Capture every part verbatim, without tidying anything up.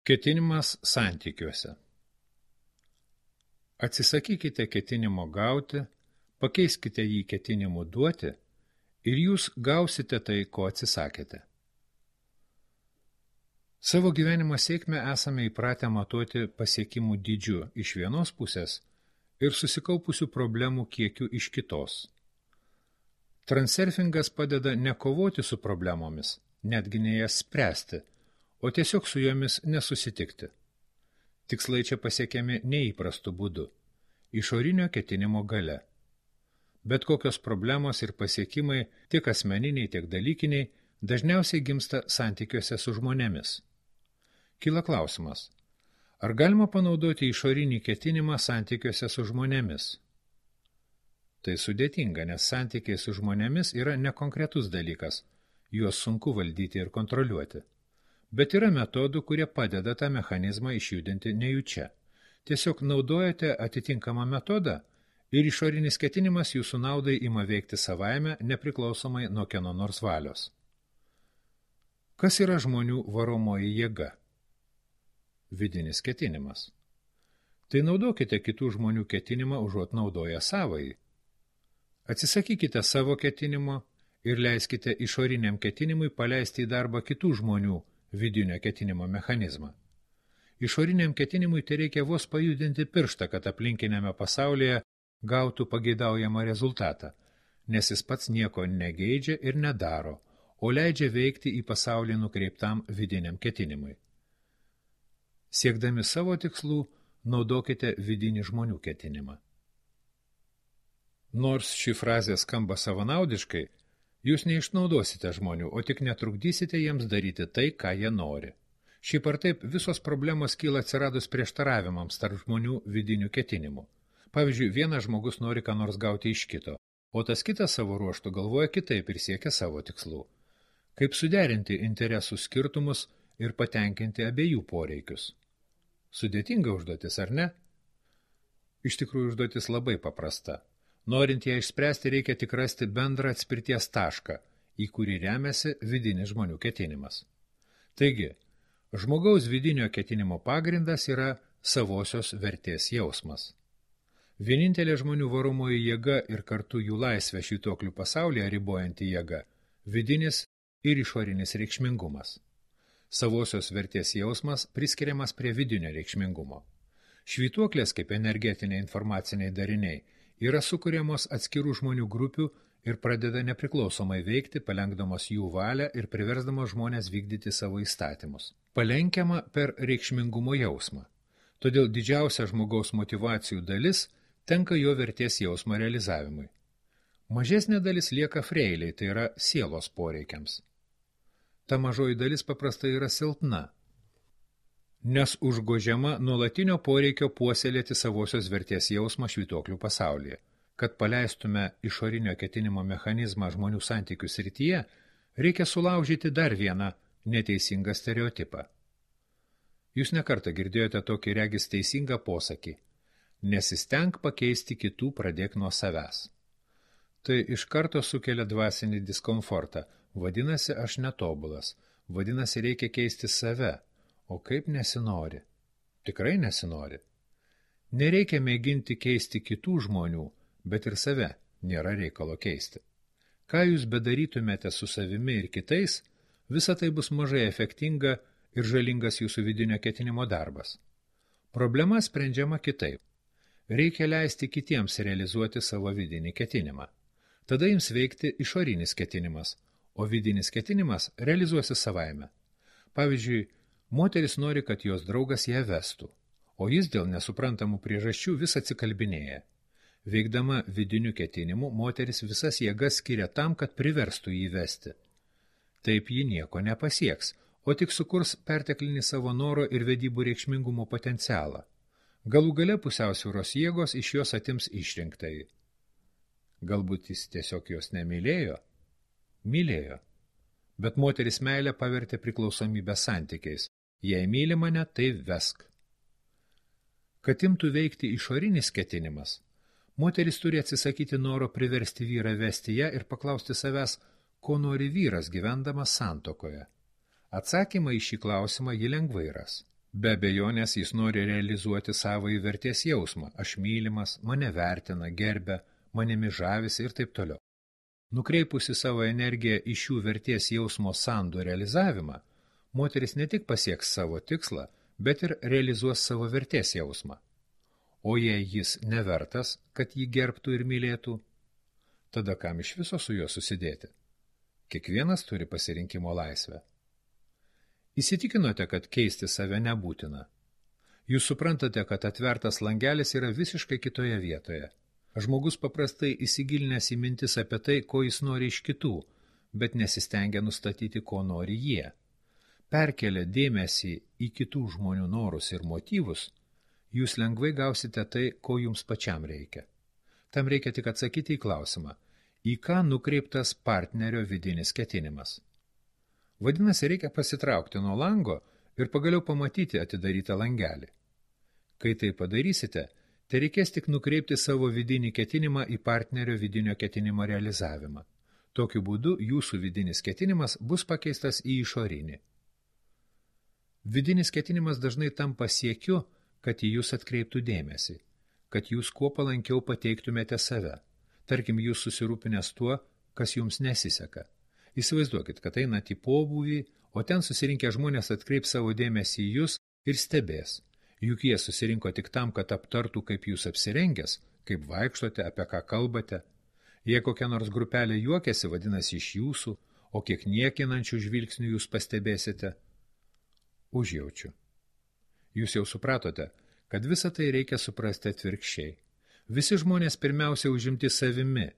Ketinimas santykiuose. Atsisakykite ketinimo gauti, pakeiskite jį ketinimu duoti ir jūs gausite tai, ko atsisakėte. Savo gyvenimo sėkmę esame įpratę matuoti pasiekimų dydžiu iš vienos pusės ir susikaupusių problemų kiekiu iš kitos. Transurfingas padeda nekovoti su problemomis, netgi ne jas spręsti, o tiesiog su jomis nesusitikti. Tikslai čia pasiekiami neįprastu būdu, išorinio ketinimo gale. Bet kokios problemos ir pasiekimai, tiek asmeniniai, tiek dalykiniai, dažniausiai gimsta santykiuose su žmonėmis. Kyla klausimas, ar galima panaudoti išorinį ketinimą santykiuose su žmonėmis? Tai sudėtinga, nes santykiai su žmonėmis yra nekonkretus dalykas, juos sunku valdyti ir kontroliuoti. Bet yra metodų, kurie padeda tą mechanizmą išjudinti nejučia. Tiesiog naudojate atitinkamą metodą ir išorinis ketinimas jūsų naudai ima veikti savaime, nepriklausomai nuo kieno nors valios. Kas yra žmonių varomoji jėga? Vidinis ketinimas. Tai naudokite kitų žmonių ketinimą užuot naudoję savąjį. Atsisakykite savo ketinimo ir leiskite išoriniam ketinimui paleisti į darbą kitų žmonių vidinio ketinimo mechanizmą. Išoriniam ketinimui tai reikia vos pajudinti pirštą, kad aplinkiniame pasaulyje gautų pageidaujamą rezultatą, nes jis pats nieko negeidžia ir nedaro, o leidžia veikti į pasaulį nukreiptam vidiniam ketinimui. Siekdami savo tikslų, naudokite vidinį žmonių ketinimą. Nors ši frazė skamba savanaudiškai, jūs neišnaudosite žmonių, o tik netrukdysite jiems daryti tai, ką jie nori. Šiaip ar taip, visos problemos kyla atsiradus prieštaravimams tarp žmonių vidinių ketinimų. Pavyzdžiui, vienas žmogus nori ką nors gauti iš kito, o tas kitas savo ruožtu galvoja kitaip ir siekia savo tikslų. Kaip suderinti interesų skirtumus ir patenkinti abiejų poreikius? Sudėtinga užduotis, ar ne? Iš tikrųjų, užduotis labai paprasta. Norint ją išspręsti, reikia tik rasti bendrą atspirties tašką, į kurį remiasi vidinis žmonių ketinimas. Taigi, žmogaus vidinio ketinimo pagrindas yra savosios vertės jausmas. Vienintelė žmonių varomoji jėga ir kartu jų laisvę švytuoklių pasaulyje ribojanti jėga – vidinis ir išorinis reikšmingumas. Savosios vertės jausmas priskiriamas prie vidinio reikšmingumo. Švytuoklės kaip energetiniai informaciniai dariniai yra sukuriamos atskirų žmonių grupių ir pradeda nepriklausomai veikti, palenkdamos jų valią ir priversdamos žmonės vykdyti savo įstatymus. Palenkiama per reikšmingumo jausmą. Todėl didžiausia žmogaus motyvacijų dalis tenka jo vertės jausmo realizavimui. Mažesnė dalis lieka freiliai, tai yra sielos poreikiams. Ta mažoji dalis paprastai yra silpna, nes užgožiama nuolatinio poreikio puoselėti savosios vertės jausmą švytuoklių pasaulyje. Kad paleistume išorinio ketinimo mechanizmą žmonių santykių srityje, reikia sulaužyti dar vieną neteisingą stereotipą. Jūs nekartą girdėjote tokį regis teisingą posakį – nesistenk pakeisti kitų, pradėk nuo savęs. Tai iš karto sukelia dvasinį diskomfortą, vadinasi aš netobulas, vadinasi reikia keisti save. O kaip nesinori? Tikrai nesinori. Nereikia mėginti keisti kitų žmonių, bet ir save nėra reikalo keisti. Ką jūs bedarytumėte su savimi ir kitais, visa tai bus mažai efektinga ir žalingas jūsų vidinio ketinimo darbas. Problema sprendžiama kitaip. Reikia leisti kitiems realizuoti savo vidinį ketinimą. Tada jums veikti išorinis ketinimas, o vidinis ketinimas realizuosi savaime. Pavyzdžiui, moteris nori, kad jos draugas ją vestų, o jis dėl nesuprantamų priežasčių vis atsikalbinėja. Veikdama vidiniu ketinimu, moteris visas jėgas skiria tam, kad priverstų jį vesti. Taip ji nieko nepasieks, o tik sukurs perteklinį savo noro ir vedybų reikšmingumo potencialą. Galų gale pusiausvyros jėgos iš jos atims išrinktai. Galbūt jis tiesiog jos nemylėjo? Mylėjo. Bet moteris meilę pavertė priklausomybę santykiais. Jei myli mane, tai vesk. Kad imtų veikti išorinis ketinimas, moteris turi atsisakyti noro priversti vyrą vesti ją ir paklausti savęs, ko nori vyras gyvendamas santuokoje. Atsakymą į šį klausimą ji lengvai ras. Be abejonės jis nori realizuoti savąjį vertės jausmą. Aš mylimas, mane vertina, gerbia, manimi žavisi ir taip toliau. Nukreipusi savo energiją į šių vertės jausmo sandų realizavimą, moteris ne tik pasieks savo tikslą, bet ir realizuos savo vertės jausmą. O jei jis nevertas, kad jį gerbtų ir mylėtų, tada kam iš viso su juo susidėti? Kiekvienas turi pasirinkimo laisvę. Įsitikinote, kad keisti save nebūtina. Jūs suprantate, kad atvertas langelis yra visiškai kitoje vietoje. Žmogus paprastai įsigilinęs į mintis apie tai, ko jis nori iš kitų, bet nesistengia nustatyti, ko nori jie. Perkelę dėmesį į kitų žmonių norus ir motyvus, jūs lengvai gausite tai, ko jums pačiam reikia. Tam reikia tik atsakyti į klausimą, į ką nukreiptas partnerio vidinis ketinimas. Vadinasi, reikia pasitraukti nuo lango ir pagaliau pamatyti atidarytą langelį. Kai tai padarysite, tai reikės tik nukreipti savo vidinį ketinimą į partnerio vidinio ketinimo realizavimą. Tokiu būdu jūsų vidinis ketinimas bus pakeistas į išorinį. Vidinis ketinimas dažnai tampa siekiu, kad į jūs atkreiptų dėmesį, kad jūs kuo palankiau pateiktumėte save. Tarkim, jūs susirūpinęs tuo, kas jums nesiseka. Įsivaizduokit, kad einat į pobūvį, o ten susirinkę žmonės atkreips savo dėmesį į jūs ir stebės. Juk jie susirinko tik tam, kad aptartų, kaip jūs apsirengęs, kaip vaikštote, apie ką kalbate. Jei kokia nors grupelė juokiasi, vadinasi iš jūsų, o kiek niekinančių žvilgsnių jūs pastebėsite. Užjaučiu. Jūs jau supratote, kad visą tai reikia suprasti atvirkščiai. Visi žmonės pirmiausia užimti savimi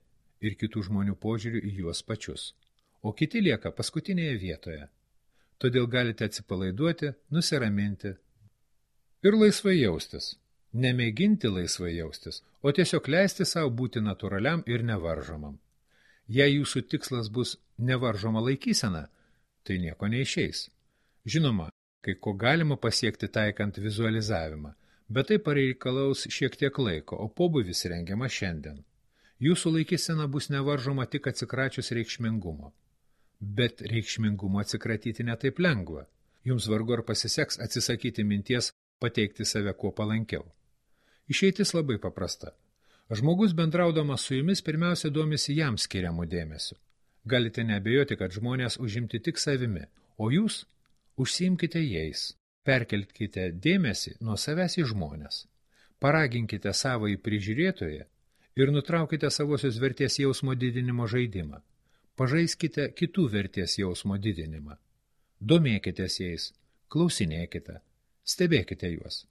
ir kitų žmonių požiūrių į juos pačius, o kiti lieka paskutinėje vietoje. Todėl galite atsipalaiduoti, nusiraminti ir laisvai jaustis. Nemėginti laisvai jaustis, o tiesiog leisti savo būti natūraliam ir nevaržomam. Jei jūsų tikslas bus nevaržoma laikysena, tai nieko neišeis. Žinoma, kai ko galima pasiekti taikant vizualizavimą, bet tai pareikalaus šiek tiek laiko, o pobūvis rengiama šiandien. Jūsų laikysena bus nevaržoma tik atsikračius reikšmingumo. Bet reikšmingumo atsikratyti netaip lengva. Jums vargu ar pasiseks atsisakyti minties pateikti save kuo palankiau. Išeitis labai paprasta. Žmogus bendraudamas su jumis pirmiausia domisi jam skiriamų dėmesių. Galite neabejoti, kad žmonės užimti tik savimi, o jūs užsiimkite jais. Perkelkite dėmesį nuo savęs į žmonės. Paraginkite savąjį prižiūrėtoją ir nutraukite savosios vertės jausmo didinimo žaidimą. Pažaiskite kitų vertės jausmo didinimą. Domėkitės jais, klausinėkite, stebėkite juos.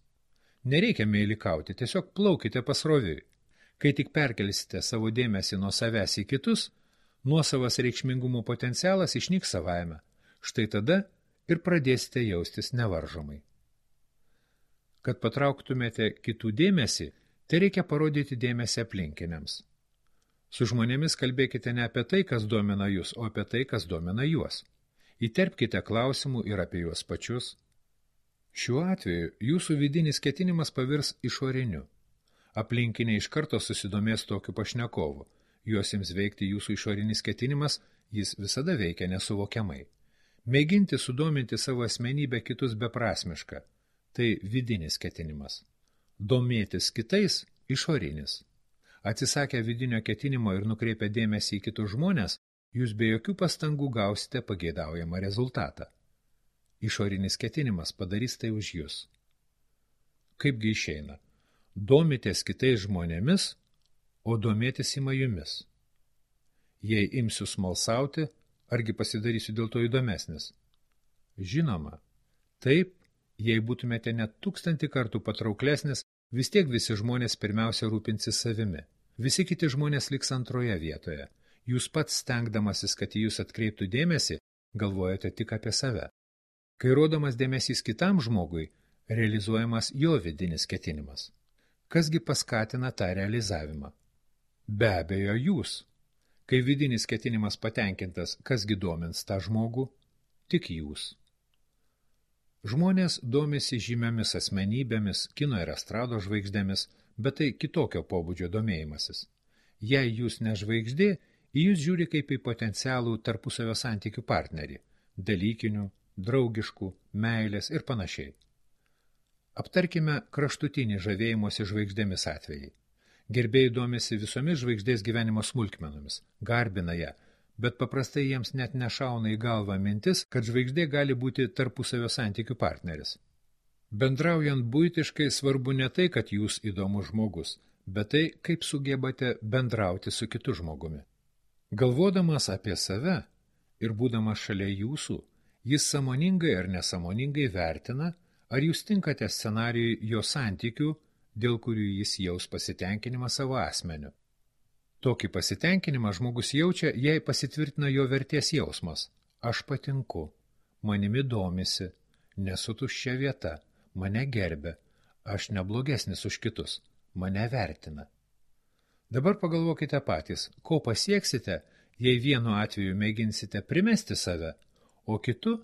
Nereikia meilikauti, tiesiog plaukite pasroviui. Kai tik perkelsite savo dėmesį nuo savęs į kitus, nuosavas reikšmingumo potencialas išnyks savaime. Štai tada ir pradėsite jaustis nevaržomai. Kad patrauktumėte kitų dėmesį, tai reikia parodyti dėmesį aplinkiniams. Su žmonėmis kalbėkite ne apie tai, kas domina jūs, o apie tai, kas domina juos. Įterpkite klausimų ir apie juos pačius. Šiuo atveju jūsų vidinis ketinimas pavirs išoriniu. Aplinkiniai iš karto susidomės tokiu pašnekovu. Juos ims veikti jūsų išorinis ketinimas, jis visada veikia nesuvokiamai. Mėginti sudominti savo asmenybę kitus beprasmiška. Tai vidinis ketinimas. Domėtis kitais – išorinis. Atsisakę vidinio ketinimo ir nukreipę dėmesį į kitus žmonės, jūs be jokių pastangų gausite pageidaujamą rezultatą. Išorinis ketinimas padarys tai už jūs. Kaipgi išeina? Domitės kitais žmonėmis, o domėtis ima jumis. Jei imsiu smalsauti, argi pasidarysiu dėl to įdomesnis? Žinoma, taip, jei būtumėte net tūkstantį kartų patrauklesnis, vis tiek visi žmonės pirmiausia rūpinsis savimi. Visi kiti žmonės liks antroje vietoje. Jūs pats stengdamasis, kad į jūs atkreiptų dėmesį, galvojate tik apie save. Kai rodomas dėmesys kitam žmogui, realizuojamas jo vidinis ketinimas. Kasgi paskatina tą realizavimą? Be abejo, jūs. Kai vidinis ketinimas patenkintas, kasgi domins tą žmogų? Tik jūs. Žmonės domisi žymiomis asmenybėmis, kino ir estrado žvaigždėmis, bet tai kitokio pobūdžio domėjimasis. Jei jūs ne žvaigždė, į jūs žiūri kaip į potencialų tarpusavio santykių partnerį, dalykinių, draugiškų, meilės ir panašiai. Aptarkime kraštutinį žavėjimosi žvaigždėmis atvejai. Gerbėjai domisi visomis žvaigždės gyvenimo smulkmenomis, garbina ją, bet paprastai jiems net nešauna į galvą mintis, kad žvaigždė gali būti tarpusavio santykių partneris. Bendraujant buitiškai svarbu ne tai, kad jūs įdomus žmogus, bet tai, kaip sugebate bendrauti su kitu žmogumi. Galvodamas apie save ir būdamas šalia jūsų, jis sąmoningai ar nesąmoningai vertina, ar jūs tinkate scenarijui jo santykių, dėl kurių jis jaus pasitenkinimą savo asmeniu. Tokį pasitenkinimą žmogus jaučia, jei pasitvirtina jo vertės jausmas. Aš patinku, manimi domisi, nesu tuščia vieta, mane gerbia, aš neblogesnis už kitus, mane vertina. Dabar pagalvokite patys, ko pasieksite, jei vienu atveju mėginsite primesti save, o kitu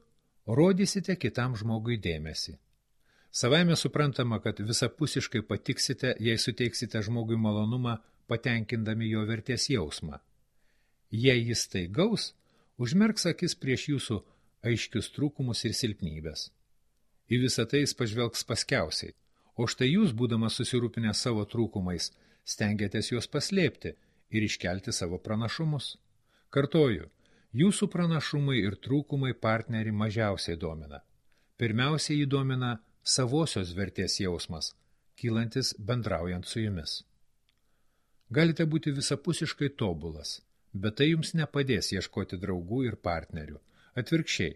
rodysite kitam žmogui dėmesį. Savaime suprantama, kad visapusiškai patiksite, jei suteiksite žmogui malonumą, patenkindami jo vertės jausmą. Jei jis tai gaus, užmerks akis prieš jūsų aiškius trūkumus ir silpnybės. Į visą tai jis pažvelgs paskiausiai, o štai jūs, būdamas susirūpinę savo trūkumais, stengiatės juos paslėpti ir iškelti savo pranašumus. Kartoju, jūsų pranašumai ir trūkumai partnerį mažiausiai domina. Pirmiausiai jį domina savosios vertės jausmas, kylantis bendraujant su jumis. Galite būti visapusiškai tobulas, bet tai jums nepadės ieškoti draugų ir partnerių. Atvirkščiai,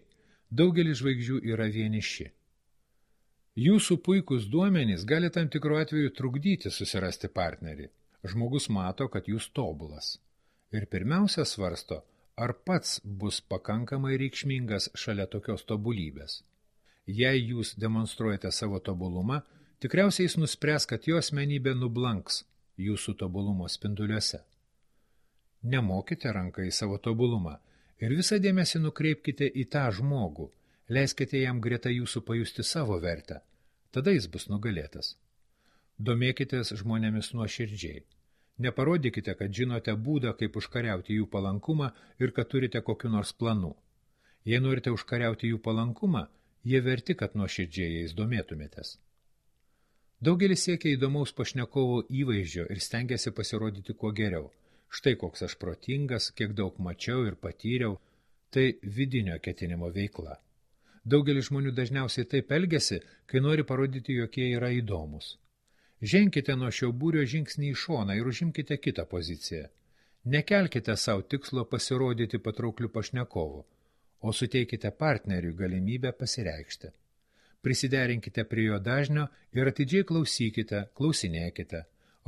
daugelis žvaigždžių yra vieniši. Jūsų puikus duomenys gali tam tikru atveju trukdyti susirasti partnerį. Žmogus mato, kad jūs tobulas. Ir pirmiausia svarsto, ar pats bus pakankamai reikšmingas šalia tokios tobulybės. Jei jūs demonstruojate savo tobulumą, tikriausiai jis nuspręs, kad jo asmenybė nublanks jūsų tobulumo spinduliuose. Nemokite ranką į savo tobulumą ir visą dėmesį nukreipkite į tą žmogų, leiskite jam greta jūsų pajusti savo vertę, tada jis bus nugalėtas. Domėkitės žmonėmis nuoširdžiai. Neparodykite, kad žinote būdą, kaip užkariauti jų palankumą ir kad turite kokiu nors planu. Jei norite užkariauti jų palankumą, jie verti, kad nuoširdžiai jais domėtumėtės. Daugelis siekia įdomaus pašnekovo įvaizdžio ir stengiasi pasirodyti kuo geriau. Štai koks aš protingas, kiek daug mačiau ir patyriau, tai vidinio ketinimo veikla. Daugelis žmonių dažniausiai taip elgiasi, kai nori parodyti, jog jie yra įdomus. Ženkite nuo šio būrio žingsnį į šoną ir užimkite kitą poziciją. Nekelkite savo tikslo pasirodyti patraukliu pašnekovu, o suteikite partneriui galimybę pasireikšti. Prisiderinkite prie jo dažnio ir atidžiai klausykite, klausinėkite,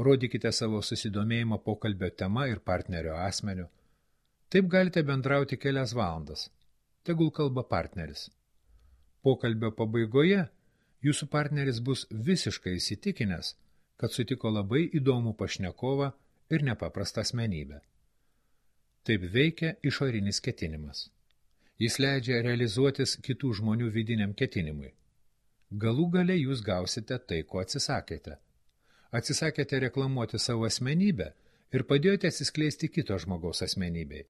rodykite savo susidomėjimą pokalbio tema ir partnerio asmeniu. Taip galite bendrauti kelias valandas. Tegul kalba partneris. Pokalbio pabaigoje jūsų partneris bus visiškai įsitikinęs, kad sutiko labai įdomų pašnekovą ir nepaprastą asmenybę. Taip veikia išorinis ketinimas. Jis leidžia realizuotis kitų žmonių vidiniam ketinimui. Galų gale jūs gausite tai, ko atsisakėte. Atsisakėte reklamuoti savo asmenybę ir padėjote atsiskleisti kito žmogaus asmenybei.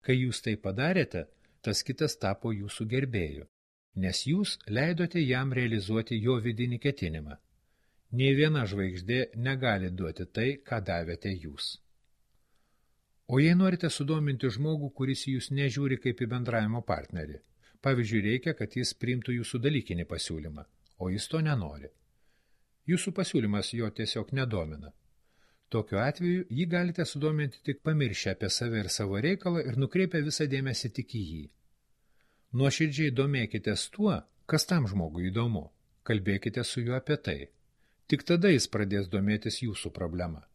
Kai jūs tai padarėte, tas kitas tapo jūsų gerbėju, nes jūs leidote jam realizuoti jo vidinį ketinimą. Nei viena žvaigždė negali duoti tai, ką davėte jūs. O jei norite sudominti žmogų, kuris jūs nežiūri kaip į bendravimo partnerį, pavyzdžiui, reikia, kad jis priimtų jūsų dalykinį pasiūlymą, o jis to nenori. Jūsų pasiūlymas jo tiesiog nedomina. Tokiu atveju jį galite sudominti tik pamiršę apie save ir savo reikalą ir nukreipę visą dėmesį tik į jį. Nuoširdžiai domėkitės tuo, kas tam žmogui įdomu. Kalbėkite su juo apie tai. Tik tada jis pradės domėtis jūsų problema.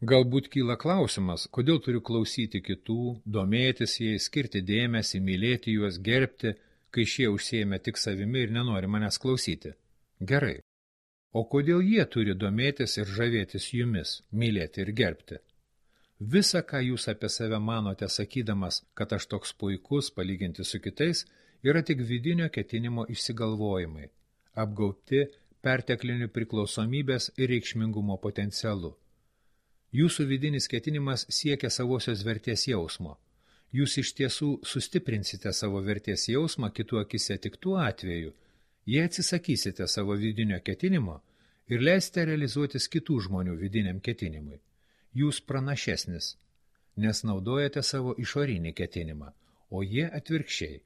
Galbūt kyla klausimas, kodėl turiu klausyti kitų, domėtis jais, skirti dėmesį, mylėti juos, gerbti, kai šie užsiėmė tik savimi ir nenori manęs klausyti. Gerai. O kodėl jie turi domėtis ir žavėtis jumis, mylėti ir gerbti? Visa, ką jūs apie save manote sakydamas, kad aš toks puikus palyginti su kitais, yra tik vidinio ketinimo išsigalvojimai, apgaubti pertekliniu priklausomybės ir reikšmingumo potencialu. Jūsų vidinis ketinimas siekia savosios vertės jausmo. Jūs iš tiesų sustiprinsite savo vertės jausmą kitų akise tik tuo atveju, Jei atsisakysite savo vidinio ketinimo ir leisite realizuotis kitų žmonių vidiniam ketinimui, jūs pranašesnis, nes naudojate savo išorinį ketinimą, o jie atvirkščiai.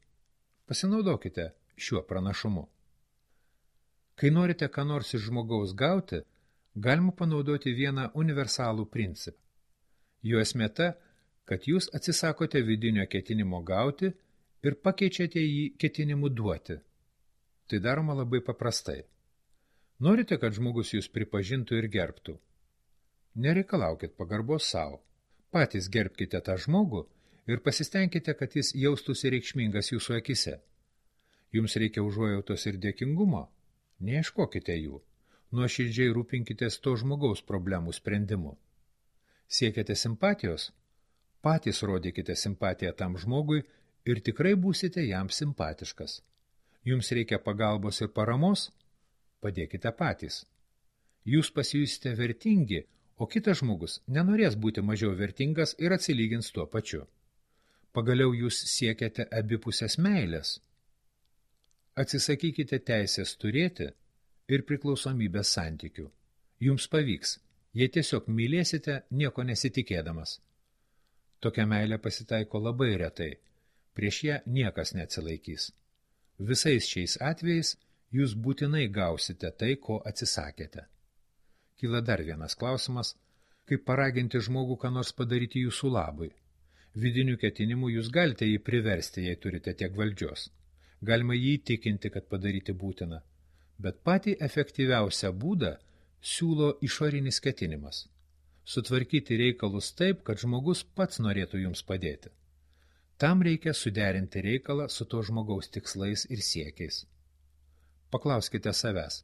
Pasinaudokite šiuo pranašumu. Kai norite ką nors iš žmogaus gauti, galima panaudoti vieną universalų principą. Jo esmė ta, kad jūs atsisakote vidinio ketinimo gauti ir pakeičiate jį ketinimu duoti. Tai daroma labai paprastai. Norite, kad žmogus jūs pripažintų ir gerbtų? Nereikalaukit pagarbos savo. Patys gerbkite tą žmogų ir pasistengkite, kad jis jaustųsi reikšmingas jūsų akise. Jums reikia užuojautos ir dėkingumo? Neieškokite jų. Nuoširdžiai rūpinkitės to žmogaus problemų sprendimu. Siekiate simpatijos? Patys rodykite simpatiją tam žmogui ir tikrai būsite jam simpatiškas. Jums reikia pagalbos ir paramos? Padėkite patys. Jūs pasijusite vertingi, o kitas žmogus nenorės būti mažiau vertingas ir atsilygins tuo pačiu. Pagaliau jūs siekiate abipusės meilės. Atsisakykite teisės turėti ir priklausomybės santykių. Jums pavyks, jei tiesiog mylėsite nieko nesitikėdamas. Tokia meilė pasitaiko labai retai, prieš ją niekas neatsilaikys. Visais šiais atvejais jūs būtinai gausite tai, ko atsisakėte. Kyla dar vienas klausimas, kaip paraginti žmogų ką nors padaryti jūsų labui. Vidinių ketinimų jūs galite jį priversti, jei turite tiek valdžios. Galima jį įtikinti, kad padaryti būtina, bet patį efektyviausią būdą siūlo išorinis ketinimas. Sutvarkyti reikalus taip, kad žmogus pats norėtų jums padėti. Tam reikia suderinti reikalą su to žmogaus tikslais ir siekiais. Paklauskite savęs,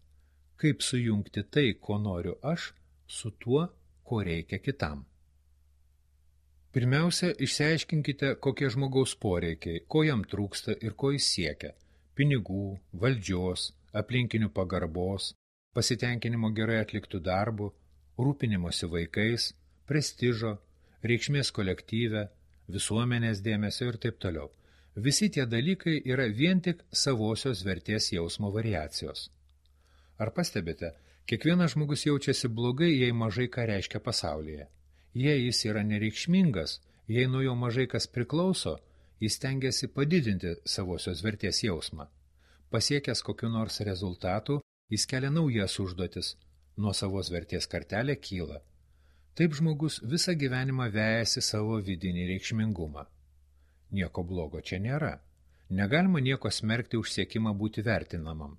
kaip sujungti tai, ko noriu aš, su tuo, ko reikia kitam. Pirmiausia, išsiaiškinkite, kokie žmogaus poreikiai, ko jam trūksta ir ko jis siekia – pinigų, valdžios, aplinkinių pagarbos, pasitenkinimo gerai atliktų darbų, rūpinimosi vaikais, prestižo, reikšmės kolektyve, visuomenės dėmesio ir taip toliau. Visi tie dalykai yra vien tik savosios vertės jausmo variacijos. Ar pastebite, kiekvienas žmogus jaučiasi blogai, jei mažai ką reiškia pasaulyje. Jei jis yra nereikšmingas, jei nuo jo mažai kas priklauso, jis stengiasi padidinti savosios vertės jausmą. Pasiekęs kokiu nors rezultatų, jis kelia naujas užduotis, nuo savos vertės kartelė kyla. Taip žmogus visą gyvenimą vejasi savo vidinį reikšmingumą. Nieko blogo čia nėra. Negalima nieko smerkti už siekimą būti vertinamam.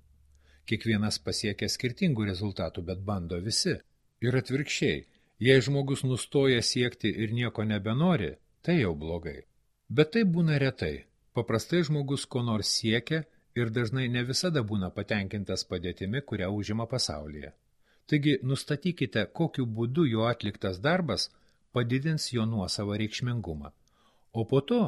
Kiekvienas pasiekia skirtingų rezultatų, bet bando visi. Ir atvirkščiai, jei žmogus nustoja siekti ir nieko nebenori, tai jau blogai. Bet tai būna retai. Paprastai žmogus ko nors siekia ir dažnai ne visada būna patenkintas padėtimi, kurią užima pasaulyje. Taigi nustatykite, kokiu būdu jo atliktas darbas padidins jo nuosavą reikšmingumą. O po to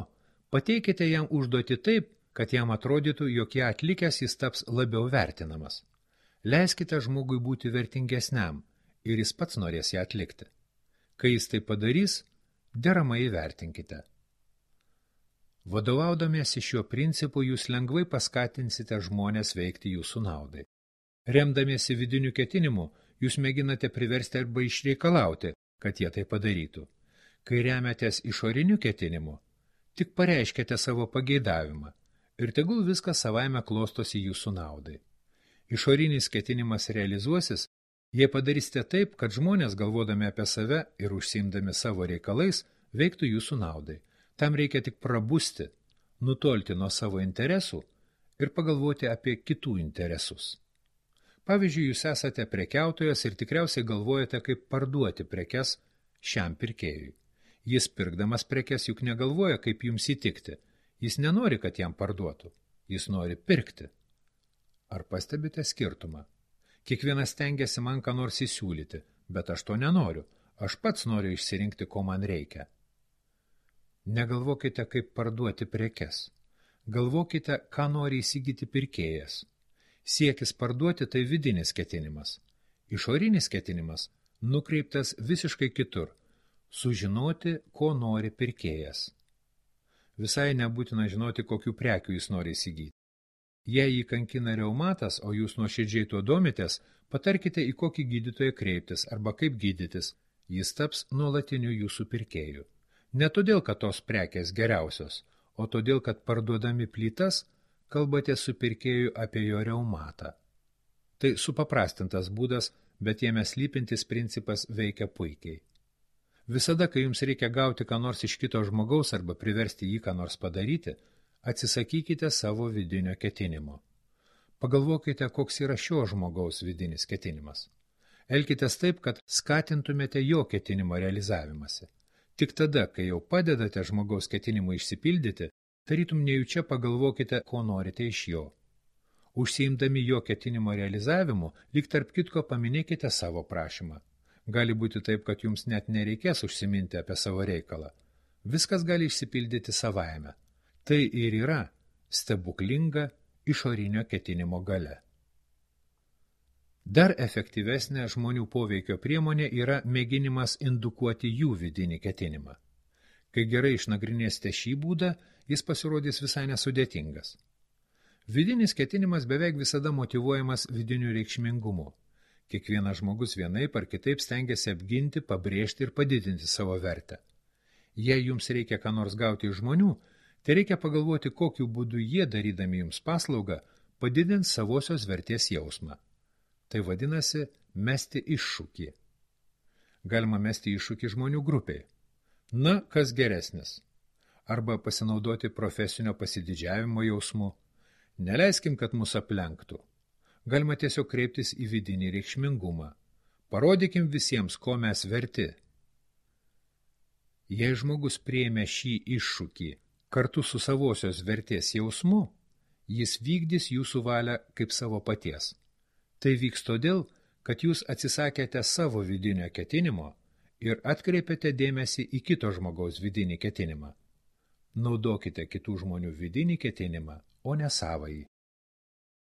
pateikite jam užduoti taip, kad jam atrodytų, jog ją atlikęs jis taps labiau vertinamas. Leiskite žmogui būti vertingesniam ir jis pats norės ją atlikti. Kai jis tai padarys, deramai įvertinkite. Vadovaudamiesi šiuo principu, jūs lengvai paskatinsite žmonės veikti jūsų naudai. Remdamiesi vidiniu ketinimu, jūs mėginate priversti arba išreikalauti, kad jie tai padarytų. Kai remiatės išoriniu ketinimu, tik pareiškite savo pageidavimą ir tegul viskas savaime klostosi jūsų naudai. Išorinis ketinimas realizuosis, jei padarysite taip, kad žmonės, galvodami apie save ir užsiimdami savo reikalais, veiktų jūsų naudai. Tam reikia tik prabusti, nutolti nuo savo interesų ir pagalvoti apie kitų interesus. Pavyzdžiui, jūs esate prekiautojas ir tikriausiai galvojate, kaip parduoti prekes šiam pirkėjui. Jis pirkdamas prekes juk negalvoja, kaip jums įtikti. Jis nenori, kad jam parduotų. Jis nori pirkti. Ar pastebite skirtumą? Kiekvienas stengiasi man ką nors įsiūlyti, bet aš to nenoriu. Aš pats noriu išsirinkti, ko man reikia. Negalvokite, kaip parduoti prekes. Galvokite, ką nori įsigyti pirkėjas. Siekis parduoti tai vidinis ketinimas. Išorinis ketinimas nukreiptas visiškai kitur. Sužinoti, ko nori pirkėjas. Visai nebūtina žinoti, kokių prekių jis nori įsigyti. Jei jį kankina reumatas, o jūs nuoširdžiai tuo domitės, patarkite, į kokį gydytoją kreiptis arba kaip gydytis. Jis taps nuolatiniu jūsų pirkėju. Ne todėl, kad tos prekės geriausios, o todėl, kad parduodami plytas, kalbate su pirkėju apie jo reumatą. Tai supaprastintas būdas, bet jame slypintis principas veikia puikiai. Visada, kai jums reikia gauti ką nors iš kito žmogaus arba priversti jį ką nors padaryti, atsisakykite savo vidinio ketinimo. Pagalvokite, koks yra šio žmogaus vidinis ketinimas. Elkitės taip, kad skatintumėte jo ketinimo realizavimąsi. Tik tada, kai jau padedate žmogaus ketinimui išsipildyti, tarytum nejučia pagalvokite, ko norite iš jo. Užsiimdami jo ketinimo realizavimu, lyg tarp kitko paminėkite savo prašymą. Gali būti taip, kad jums net nereikės užsiminti apie savo reikalą. Viskas gali išsipildyti savaime. Tai ir yra stebuklinga išorinio ketinimo galia. Dar efektyvesnė žmonių poveikio priemonė yra mėginimas indukuoti jų vidinį ketinimą. Kai gerai išnagrinėsite šį būdą, jis pasirodys visai nesudėtingas. Vidinis ketinimas beveik visada motyvuojamas vidiniu reikšmingumu. Kiekvienas žmogus vienaip ar kitaip stengiasi apginti, pabrėžti ir padidinti savo vertę. Jei jums reikia ką nors gauti iš žmonių, tai reikia pagalvoti, kokiu būdu jie, darydami jums paslaugą, padidins savosios vertės jausmą. Tai vadinasi mesti iššūkį. Galima mesti iššūkį žmonių grupiai. Na, kas geresnis? Arba pasinaudoti profesinio pasididžiavimo jausmu. Neleiskim, kad mus aplenktų. Galima tiesiog kreiptis į vidinį reikšmingumą. Parodykim visiems, ko mes verti. Jei žmogus priėmė šį iššūkį kartu su savosios vertės jausmu, jis vykdys jūsų valią kaip savo paties. Tai vyks todėl, kad jūs atsisakėte savo vidinio ketinimo ir atkreipėte dėmesį į kito žmogaus vidinį ketinimą. Naudokite kitų žmonių vidinį ketinimą, o ne savąjį.